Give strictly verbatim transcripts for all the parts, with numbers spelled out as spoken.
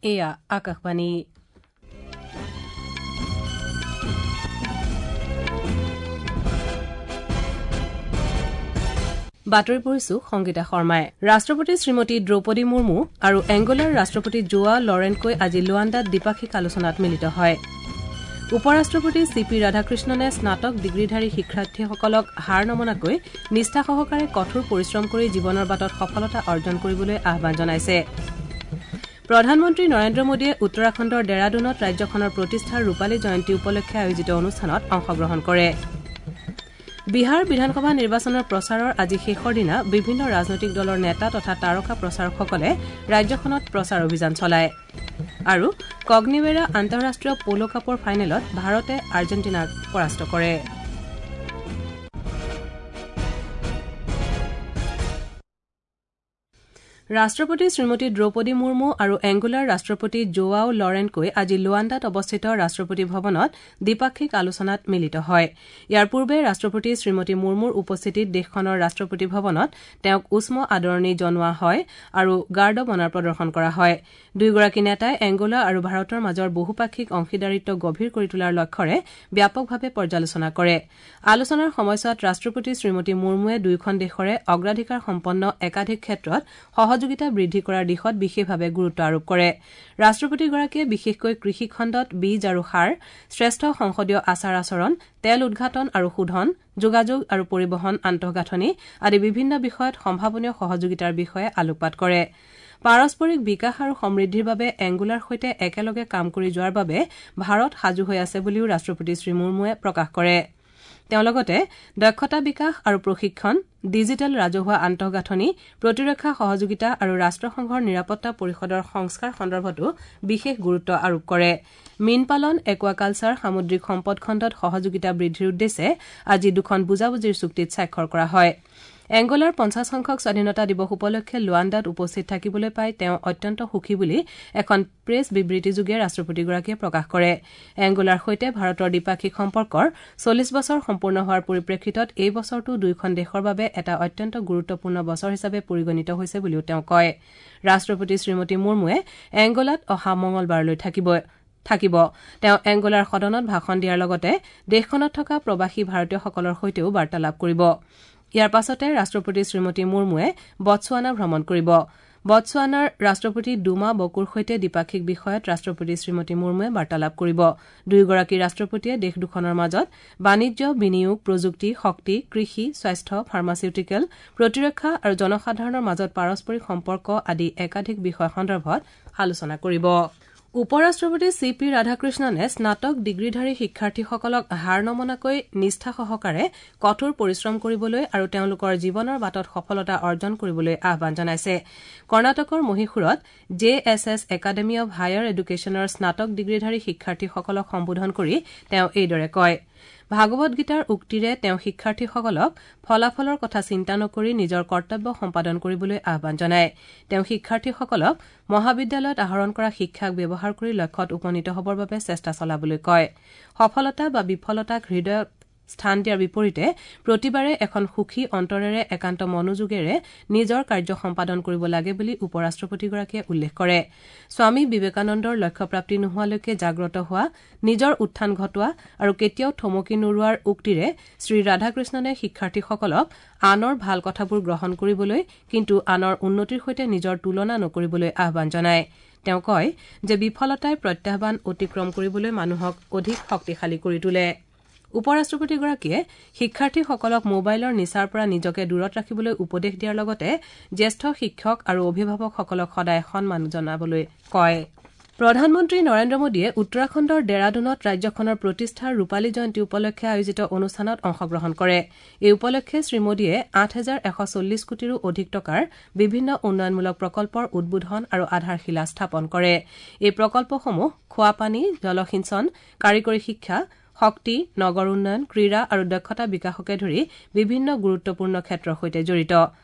এয়া আকাশবাণী। বাতৰি পঢ়িছো সংগীতা শৰ্মাই। ৰাষ্ট্ৰপতি শ্ৰীমতী দ্ৰৌপদী মুৰ্মু আৰু এংগোলাৰ ৰাষ্ট্ৰপতি জোৱা লৰেনকৈ আজি লুৱাণ্ডাত দ্বিপাক্ষিক আলোচনাত মিলিত হয়। উপ-ৰাষ্ট্ৰপতি চি পি ৰাধাকৃষ্ণনে স্নাতক ডিগ্ৰীধাৰী শিক্ষাৰ্থীসকলক হাৰ নমনাকৈ নিষ্ঠা সহকাৰে কঠোৰ পৰিশ্ৰম কৰি জীৱনৰ বাটত সফলতা অৰ্জন কৰিবলৈ আহ্বান জনাইছে। প্ৰধানমন্ত্ৰী নৰেন্দ্ৰ মোদীয়ে উত্তৰাখণ্ডৰ ডেৰাডুনত ৰাজ্যখনৰ প্ৰতিষ্ঠাৰ ৰূপালী জয়ন্তী উপলক্ষে আয়োজিত অনুষ্ঠানত অংশগ্ৰহণ কৰে। বিহাৰ বিধানসভা নিৰ্বাচনৰ প্ৰচাৰৰ আজি শেষৰ দিনা বিভিন্ন ৰাজনৈতিক দলৰ নেতা তথা তাৰকা প্ৰচাৰকসকলে ৰাজ্যখনত প্ৰচাৰ অভিযান চলায়। আৰু কগনিৱেৰা আন্তঃৰাষ্ট্ৰীয় প'ল' কাপৰ ফাইনেলত ভাৰতে আৰ্জেণ্টিনাক পৰাস্ত কৰে। ৰাষ্ট্ৰপতি শ্ৰীমতী দ্ৰৌপদী মুৰ্মু আৰু এংগোলাৰ ৰাষ্ট্ৰপতি জোৱাও লৰেনকৈ আজি লুৱাণ্ডাত অৱস্থিত ৰাষ্ট্ৰপতি ভৱনত দ্বিপাক্ষিক আলোচনাত মিলিত হয়। ইয়াৰ পূৰ্বে ৰাষ্ট্ৰপতি শ্ৰীমতী মুৰ্মুৰ উপস্থিতিত দেশখনৰ ৰাষ্ট্ৰপতি ভৱনত তেওঁক উষ্ম আদৰণি জনোৱা হয় আৰু গাৰ্ড অৱ অনাৰ প্ৰদৰ্শন কৰা হয়। দুয়োগৰাকী নেতাই এংগোলা আৰু ভাৰতৰ মাজৰ বহুপাক্ষিক অংশীদাৰিত্ব গভীৰ কৰি তোলাৰ লক্ষ্যৰে ব্যাপকভাৱে পৰ্যালোচনা কৰে। আলোচনাৰ সময়ছোৱাত ৰাষ্ট্ৰপতি শ্ৰীমতী মুৰ্মুৱে দুয়োখন দেশৰে অগ্ৰাধিকাৰ সম্পন্ন একাধিক ক্ষেত্ৰত সহযোগিতা বৃদ্ধি কৰাৰ দিশত বিশেষভাৱে গুৰুত্ব আৰোপ কৰে। ৰাষ্ট্ৰপতিগৰাকীয়ে বিশেষকৈ কৃষি খণ্ডত বীজ আৰু সাৰ, শ্ৰেষ্ঠ সংসদীয় আচাৰ আচৰণ, তেল উদ্ঘাটন আৰু শোধন, যোগাযোগ আৰু পৰিবহণ আন্তঃগাঁথনি আদি বিভিন্ন বিষয়ত সম্ভাৱনীয় সহযোগিতাৰ বিষয়ে আলোকপাত কৰে। পাৰস্পৰিক বিকাশ আৰু সমৃদ্ধিৰ বাবে এংগোলাৰ সৈতে একেলগে কাম কৰি যোৱাৰ বাবে ভাৰত সাজু হৈ আছে বুলিও ৰাষ্ট্ৰপতি শ্ৰীমুৰ্মুৱে প্ৰকাশ কৰে। তেওঁ লগতে দক্ষতা বিকাশ আৰু প্ৰশিক্ষণ, ডিজিটেল ৰাজহুৱা আন্তঃগাঁথনি, প্ৰতিৰক্ষা সহযোগিতা আৰু ৰাষ্ট্ৰসংঘৰ নিৰাপত্তা পৰিষদৰ সংস্কাৰ সন্দৰ্ভতো বিশেষ গুৰুত্ব আৰোপ কৰে। মীন পালন, একুৱাকালচাৰ, সামুদ্ৰিক সম্পদ খণ্ডত সহযোগিতা বৃদ্ধিৰ উদ্দেশ্যে আজি দুখন বুজাবুজিৰ চুক্তিত স্বাক্ষৰ কৰা হয়। এংগোলাৰ পঞ্চাছ সংখ্যক স্বাধীনতা দিৱস উপলক্ষে লুৱাণ্ডাত উপস্থিত থাকিবলৈ পাই তেওঁ অত্যন্ত সুখী বুলি এখন প্ৰেছ বিবৃতিযোগে ৰাষ্ট্ৰপতিগৰাকীয়ে প্ৰকাশ কৰে। এংগোলাৰ সৈতে ভাৰতৰ দ্বিপাক্ষিক সম্পৰ্কৰ চল্লিছ বছৰ সম্পূৰ্ণ হোৱাৰ পৰিপ্ৰেক্ষিতত এই বছৰটো দুয়োখন দেশৰ বাবে এটা অত্যন্ত গুৰুত্বপূৰ্ণ বছৰ হিচাপে পৰিগণিত হৈছে বুলিও তেওঁ কয়। ৰাষ্ট্ৰপতি শ্ৰীমতী মুৰ্মুৱে এংগোলাত অহা মঙলবাৰলৈ থাকিব থাকিব। তেওঁ এংগোলাৰ সদনত ভাষণ দিয়াৰ লগতে দেশখনত থকা প্ৰৱাসী ভাৰতীয়সকলৰ সৈতেও বাৰ্তালাপ কৰিব। ইয়াৰ পাছতে ৰাষ্ট্ৰপতি শ্ৰীমতী মুৰ্মুৱে বটছৱানা ভ্ৰমণ কৰিব। বটছৱানাৰ ৰাষ্ট্ৰপতি ডুমা বকুৰ সৈতে দ্বিপাক্ষিক বিষয়ত ৰাষ্ট্ৰপতি শ্ৰীমতী মুৰ্মুৱে বাৰ্তালাপ কৰিব। দুয়োগৰাকী ৰাষ্ট্ৰপতিয়ে দেশ দুখনৰ মাজত বাণিজ্য, বিনিয়োগ, প্ৰযুক্তি, শক্তি, কৃষি, স্বাস্থ্য, ফাৰ্মাচিউটিকেল, প্ৰতিৰক্ষা আৰু জনসাধাৰণৰ মাজত পাৰস্পৰিক সম্পৰ্ক আদি একাধিক বিষয় সন্দৰ্ভত আলোচনা কৰিব। উপ-ৰাষ্ট্ৰপতি চি পি ৰাধাকৃষ্ণনে স্নাতক ডিগ্ৰীধাৰী শিক্ষাৰ্থীসকলক হাৰ নমনাকৈ নিষ্ঠা সহকাৰে কঠোৰ পৰিশ্ৰম কৰিবলৈ আৰু তেওঁলোকৰ জীৱনৰ বাটত সফলতা অৰ্জন কৰিবলৈ আহ্বান জনাইছে। কৰ্ণাটকৰ মহীশূৰত J S S academy of higher এডুকেশ্যনৰ স্নাতক ডিগ্ৰীধাৰী শিক্ষাৰ্থীসকলক সম্বোধন কৰি তেওঁ এইদৰে কয়। ভাগৱত গীতাৰ উক্তিৰে তেওঁ শিক্ষাৰ্থীসকলক ফলাফলৰ কথা চিন্তা নকৰি নিজৰ কৰ্তব্য সম্পাদন কৰিবলৈ আহ্বান জনায়। তেওঁ শিক্ষাৰ্থীসকলক মহাবিদ্যালয়ত আহৰণ কৰা শিক্ষাক ব্যৱহাৰ কৰি লক্ষ্যত উপনীত হ'বৰ বাবে চেষ্টা চলাবলৈ কয়। সফলতা বা বিফলতাক হৃদয়ত স্থান দিয়াৰ বিপৰীতে প্ৰতিবাৰে এখন সুখী অন্তৰেৰে একান্ত মনোযোগেৰে নিজৰ কাৰ্য সম্পাদন কৰিব লাগে বুলি উপ-ৰাষ্ট্ৰপতিগৰাকীয়ে উল্লেখ কৰে। স্বামী বিবেকানন্দৰ লক্ষ্যপ্ৰাপ্তি নোহোৱালৈকে জাগ্ৰত হোৱা, নিজৰ উত্থান ঘটোৱা আৰু কেতিয়াও থমকি নোৰোৱাৰ উক্তিৰে শ্ৰীৰাধাকৃষ্ণনে শিক্ষাৰ্থীসকলক আনৰ ভাল কথাবোৰ গ্ৰহণ কৰিবলৈ কিন্তু আনৰ উন্নতিৰ সৈতে নিজৰ তুলনা নকৰিবলৈ আহ্বান জনায়। তেওঁ কয় যে বিফলতাই প্ৰত্যাহ্বান অতিক্ৰম কৰিবলৈ মানুহক অধিক শক্তিশালী কৰি তোলে। উপ-ৰাষ্ট্ৰপতিগৰাকীয়ে শিক্ষাৰ্থীসকলক মোবাইলৰ নিচাৰ পৰা নিজকে দূৰত ৰাখিবলৈ উপদেশ দিয়াৰ লগতে জ্যেষ্ঠ শিক্ষক আৰু অভিভাৱকসকলক সদায় সন্মান জনাবলৈ কয়। প্ৰধানমন্ত্ৰী নৰেন্দ্ৰ মোদীয়ে উত্তৰাখণ্ডৰ ডেৰাডুনত ৰাজ্যখনৰ প্ৰতিষ্ঠাৰ ৰূপালী জয়ন্তী উপলক্ষে আয়োজিত অনুষ্ঠানত অংশগ্ৰহণ কৰে। এই উপলক্ষে শ্ৰীমোদীয়ে আঠ হাজাৰ এশ চল্লিছ কোটিৰো অধিক টকাৰ বিভিন্ন উন্নয়নমূলক প্ৰকল্পৰ উদ্বোধন আৰু আধাৰশিলা স্থাপন কৰে। এই প্ৰকল্পসমূহ খোৱাপানী, জলসিঞ্চন, কাৰিকৰী শিক্ষা, শক্তি, নগৰ উন্নয়ন, ক্ৰীড়া আৰু দক্ষতা বিকাশকে ধৰি বিভিন্ন গুৰুত্বপূৰ্ণ ক্ষেত্ৰৰ সৈতে জড়িত।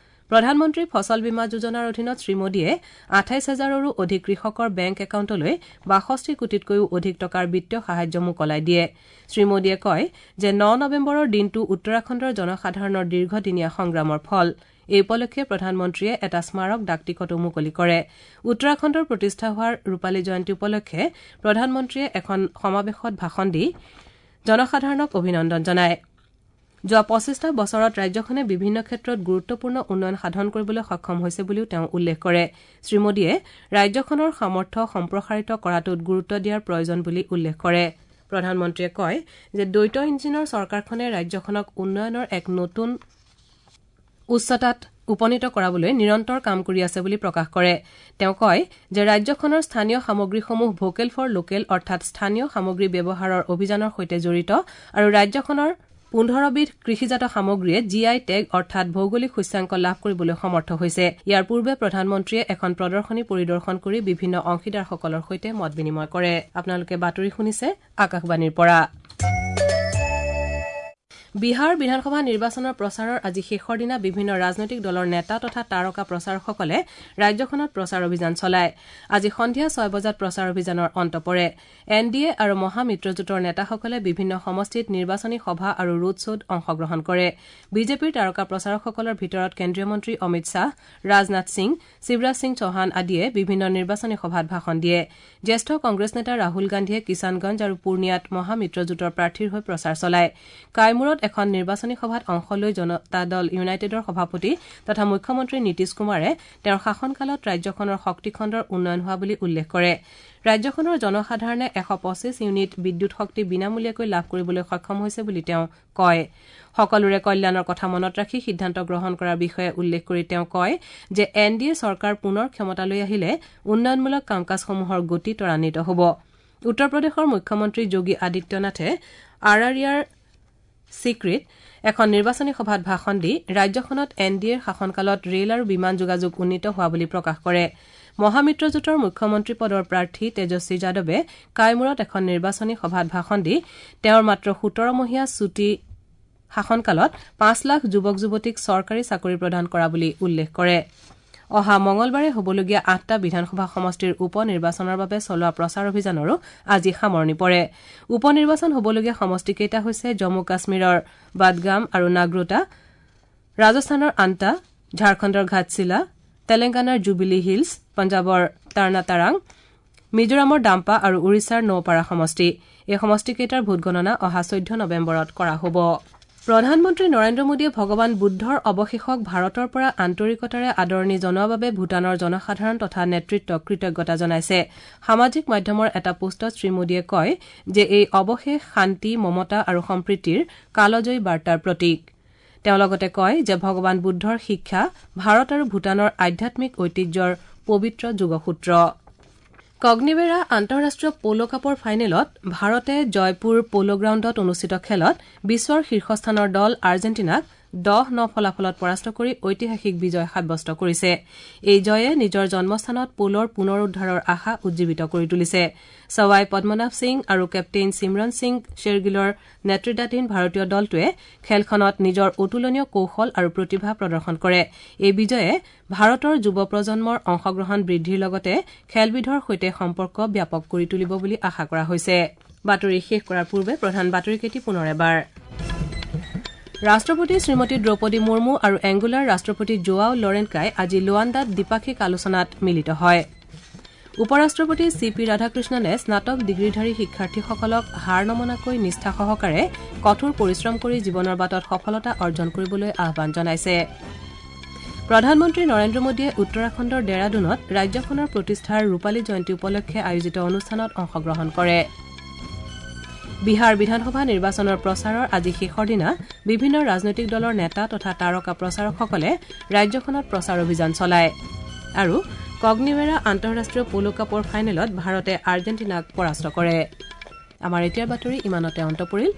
প্ৰধানমন্ত্ৰী ফচল বীমা যোজনাৰ অধীনত শ্ৰীমোদীয়ে আঠাইছ হাজাৰৰো অধিক কৃষকৰ বেংক একাউণ্টলৈ বাষষ্ঠি কোটিতকৈও অধিক টকাৰ বিত্তীয় সাহায্য মোকলাই দিয়ে। শ্ৰীমোদীয়ে কয় যে ন নৱেম্বৰৰ দিনটো উত্তৰাখণ্ডৰ জনসাধাৰণৰ দীৰ্ঘদিনীয়া সংগ্ৰামৰ ফল। এই উপলক্ষে প্ৰধানমন্ত্ৰীয়ে এটা স্মাৰক ডাকটিকটো মুকলি কৰে। উত্তৰাখণ্ডৰ প্ৰতিষ্ঠা হোৱাৰ ৰূপালী জয়ন্তী উপলক্ষে প্ৰধানমন্ত্ৰীয়ে এখন সমাৱেশত ভাষণ দি জনসাধাৰণক অভিনন্দন জনায়। যোৱা পঁচিছটা বছৰত ৰাজ্যখনে বিভিন্ন ক্ষেত্ৰত গুৰুত্বপূৰ্ণ উন্নয়ন সাধন কৰিবলৈ সক্ষম হৈছে বুলিও তেওঁ উল্লেখ কৰে। শ্ৰীমোদীয়ে ৰাজ্যখনৰ সামৰ্থ্য সম্প্ৰসাৰিত কৰাটোত গুৰুত্ব দিয়াৰ প্ৰয়োজন বুলি উল্লেখ কৰে। প্ৰধানমন্ত্ৰীয়ে কয় যে দ্বৈত ইঞ্জিনৰ চৰকাৰখনে ৰাজ্যখনক উন্নয়নৰ এক নতুন উচ্চতাত উপনীত কৰাবলৈ নিৰন্তৰ কাম কৰি আছে বুলি প্ৰকাশ কৰে। তেওঁ কয় যে ৰাজ্যখনৰ স্থানীয় সামগ্ৰীসমূহ ভোকেল ফৰ লোকেল অৰ্থাৎ স্থানীয় সামগ্ৰী ব্যৱহাৰৰ অভিযানৰ সৈতে জড়িত আৰু ৰাজ্যখনৰ পোন্ধৰবিধ কৃষিজাত সামগ্ৰীয়ে জি I tag অৰ্থাৎ ভৌগোলিক সূচ্যাংক লাভ কৰিবলৈ সমৰ্থ হৈছে। ইয়াৰ পূৰ্বে প্ৰধানমন্ত্ৰীয়ে এখন প্ৰদৰ্শনী পৰিদৰ্শন কৰি বিভিন্ন অংশীদাৰসকলৰ সৈতে মত বিনিময় কৰে। আপোনালোকে বাতৰি শুনিছে আকাশবাণীৰ পৰা। বিহাৰ বিধানসভা নিৰ্বাচনৰ প্ৰচাৰৰ আজি শেষৰ দিনা বিভিন্ন ৰাজনৈতিক দলৰ নেতা তথা তাৰকা প্ৰচাৰকসকলে ৰাজ্যখনত প্ৰচাৰ অভিযান চলায়। আজি সন্ধিয়া ছয় বজাত প্ৰচাৰ অভিযানৰ অন্ত পৰে। এন ডি এ আৰু মহামিত্ৰজোঁটৰ নেতাসকলে বিভিন্ন সমষ্টিত নিৰ্বাচনী সভা আৰু ৰোড শ্ব'ত অংশগ্ৰহণ কৰে। বিজেপিৰ তাৰকা প্ৰচাৰকসকলৰ ভিতৰত কেন্দ্ৰীয় মন্ত্ৰী অমিত শ্বাহ, ৰাজনাথ সিং, শিৱৰাজ সিং চৌহান আদিয়ে বিভিন্ন নিৰ্বাচনী সভাত ভাষণ দিয়ে। জ্যেষ্ঠ কংগ্ৰেছ নেতা ৰাহুল গান্ধীয়ে কিষাণগঞ্জ আৰু পূৰ্ণিয়াত মহামিত্ৰজোঁটৰ প্ৰাৰ্থীৰ হৈ প্ৰচাৰ চলায়। কাইমূৰত এখন নিৰ্বাচনী সভাত অংশ লৈ জনতা দল ইউনাইটেডৰ সভাপতি তথা মুখ্যমন্ত্ৰী নীতিশ কুমাৰে তেওঁৰ শাসনকালত ৰাজ্যখনৰ শক্তিখণ্ডৰ উন্নয়ন হোৱা বুলি উল্লেখ কৰে। ৰাজ্যখনৰ জনসাধাৰণে এশ পঁচিছ ইউনিট বিদ্যুৎ শক্তি বিনামূলীয়াকৈ লাভ কৰিবলৈ সক্ষম হৈছে বুলি তেওঁ কয়। সকলোৰে কল্যাণৰ কথা মনত ৰাখি সিদ্ধান্ত গ্ৰহণ কৰাৰ বিষয়ে উল্লেখ কৰি তেওঁ কয় যে এন ডি এ চৰকাৰ পুনৰ ক্ষমতালৈ আহিলে উন্নয়নমূলক কাম কাজসমূহৰ গতি ত্বৰান্বিত হ'ব। উত্তৰ প্ৰদেশৰ মুখ্যমন্ত্ৰী যোগী আদিত্যনাথে আৰাৰিয়াৰ চিক্ৰিত এখন নিৰ্বাচনী সভাত ভাষণ দি ৰাজ্যখনত এন ডি এৰ শাসনকালত ৰেল আৰু বিমান যোগাযোগ উন্নীত হোৱা বুলি প্ৰকাশ কৰে। মহামিত্ৰজোঁটৰ মুখ্যমন্ত্ৰী পদৰ প্ৰাৰ্থী তেজস্বী যাদৱে কাইমূৰত এখন নিৰ্বাচনী সভাত ভাষণ দি তেওঁৰ মাত্ৰ সোতৰমহীয়া চুটি শাসনকালত পাঁচ লাখ যুৱক যুৱতীক চৰকাৰী চাকৰি প্ৰদান কৰা বুলি উল্লেখ কৰে। অহা মঙলবাৰে হ'বলগীয়া আঠটা বিধানসভা সমষ্টিৰ উপ নিৰ্বাচনৰ বাবে চলোৱা প্ৰচাৰ অভিযানৰো আজি সামৰণি পৰে। উপ নিৰ্বাচন হ'বলগীয়া সমষ্টিকেইটা হৈছে জম্মু কাশ্মীৰৰ বাদগাম আৰু নাগ্ৰোটা, ৰাজস্থানৰ আন্তা, ঝাৰখণ্ডৰ ঘাটশিলা, তেলেংগানাৰ জুবিলি হিলছ, পঞ্জাৱৰ টাৰ্নাতাৰাং, মিজোৰামৰ ডাম্পা আৰু উৰিষ্যাৰ নৌপাৰা সমষ্টি। এই সমষ্টিকেইটাৰ ভোটগণনা অহা চৈধ্য নৱেম্বৰত কৰা হ'ব। প্ৰধানমন্ত্ৰী নৰেন্দ্ৰ মোদীয়ে ভগৱান বুদ্ধৰ অৱশেষক ভাৰতৰ পৰা আন্তৰিকতাৰে আদৰণি জনোৱা বাবে ভূটানৰ জনসাধাৰণ তথা নেতৃত্বক কৃতজ্ঞতা জনাইছে। সামাজিক মাধ্যমৰ এটা পোষ্টত শ্ৰীমোদীয়ে কয় যে এই অৱশেষ শান্তি, মমতা আৰু সম্প্ৰীতিৰ কালজয়ী বাৰ্তাৰ প্ৰতীক। তেওঁ লগতে কয় যে ভগৱান বুদ্ধৰ শিক্ষা ভাৰত আৰু ভূটানৰ আধ্যাত্মিক ঐতিহ্যৰ পবিত্ৰ যোগসূত্ৰ। কগনিবেৰা আন্তঃৰাষ্ট্ৰীয় প'ল' কাপৰ ফাইনেলত ভাৰতে জয়পুৰ প'ল' গ্ৰাউণ্ডত অনুষ্ঠিত খেলত বিশ্বৰ শীৰ্ষস্থানৰ দল আৰ্জেণ্টিনাক দহ ন ফলাফলত পৰাস্ত কৰি ঐতিহাসিক বিজয় সাব্যস্ত কৰিছে। এই জয়ে নিজৰ জন্মস্থানত প'লৰ পুনৰুদ্ধাৰৰ আশা উজ্জীৱিত কৰি তুলিছে। ছৱাই পদ্মনাভ সিং আৰু কেপ্টেইন চিমৰন সিং শ্বেৰগিলৰ নেতৃত্বাধীন ভাৰতীয় দলটোৱে খেলখনত নিজৰ অতুলনীয় কৌশল আৰু প্ৰতিভা প্ৰদৰ্শন কৰে। এই বিজয়ে ভাৰতৰ যুৱ প্ৰজন্মৰ অংশগ্ৰহণ বৃদ্ধিৰ লগতে খেলবিধৰ সৈতে সম্পৰ্ক ব্যাপক কৰি তুলিব বুলি আশা কৰা হৈছে। বাতৰি শেষ কৰাৰ পূৰ্বে প্ৰধান বাতৰিকেইটি পুনৰ এবাৰ। ৰাষ্ট্ৰপতি শ্ৰীমতী দ্ৰৌপদী মুৰ্মু আৰু এংগোলাৰ ৰাষ্ট্ৰপতি জোৱাও লৰেনকাই আজি লোৱাণ্ডাত দ্বিপাক্ষিক আলোচনাত মিলিত হয়। উপ-ৰাষ্ট্ৰপতি চি পি ৰাধাকৃষ্ণনে স্নাতক ডিগ্ৰীধাৰী শিক্ষাৰ্থীসকলক হাৰ নমনাকৈ নিষ্ঠা সহকাৰে কঠোৰ পৰিশ্ৰম কৰি জীৱনৰ বাটত সফলতা অৰ্জন কৰিবলৈ আহ্বান জনাইছে। প্ৰধানমন্ত্ৰী নৰেন্দ্ৰ মোদীয়ে উত্তৰাখণ্ডৰ ডেৰাডুনত ৰাজ্যখনৰ প্ৰতিষ্ঠাৰ ৰূপালী জয়ন্তী উপলক্ষে আয়োজিত অনুষ্ঠানত অংশগ্ৰহণ কৰে। বিহাৰ বিধানসভা নিৰ্বাচনৰ প্ৰচাৰৰ আজি শেষৰ দিনা বিভিন্ন ৰাজনৈতিক দলৰ নেতা তথা তাৰকা প্ৰচাৰকসকলে ৰাজ্যখনত প্ৰচাৰ অভিযান চলায়। আৰু কগনিৱেৰা আন্তঃৰাষ্ট্ৰীয় প'ল' কাপৰ ফাইনেলত ভাৰতে আৰ্জেণ্টিনাক পৰাস্ত কৰে। আমাৰ এতিয়াৰ বাতৰি ইমানতে অন্ত পৰিল।